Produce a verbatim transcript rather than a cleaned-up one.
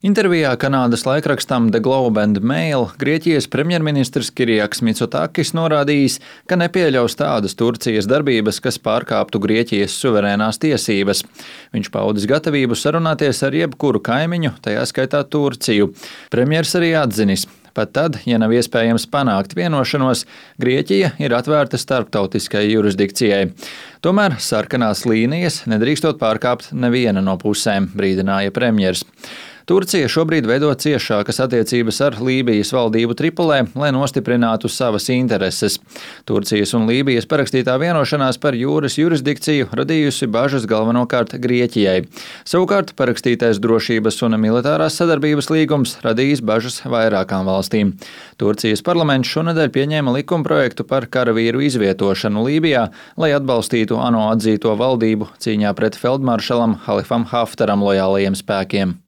Intervijā Kanādas laikrakstam The Globe and Mail Grieķijas premjerministrs Kirijaks Mitsotakis norādījis, ka nepieļaus tādas Turcijas darbības, kas pārkāptu Grieķijas suverēnās tiesības. Viņš paudis gatavību sarunāties ar jebkuru kaimiņu, tajā skaitā Turciju. Premjers arī atzinis: pat tad, ja nav iespējams panākt vienošanos, Grieķija ir atvērta starptautiskai jurisdikcijai. Tomēr sarkanās līnijas nedrīkstot pārkāpt neviena no pusēm, brīdināja premjers. Turcija šobrīd veido ciešākas attiecības ar Lībijas valdību Tripolē, lai nostiprinātu savas intereses. Turcijas un Lībijas parakstītā vienošanās par jūras jurisdikciju radījusi bažas galvenokārt Grieķijai. Savukārt parakstītais drošības un militārās sadarbības līgums radījis bažas vairākām valstīm. Turcijas parlaments šonedēļ pieņēma likumprojektu par karavīru izvietošanu Lībijā, lai atbalstītu ANO atzīto valdību cīņā pret feldmaršalam Halifam Haftaram lojālajiem spēkiem.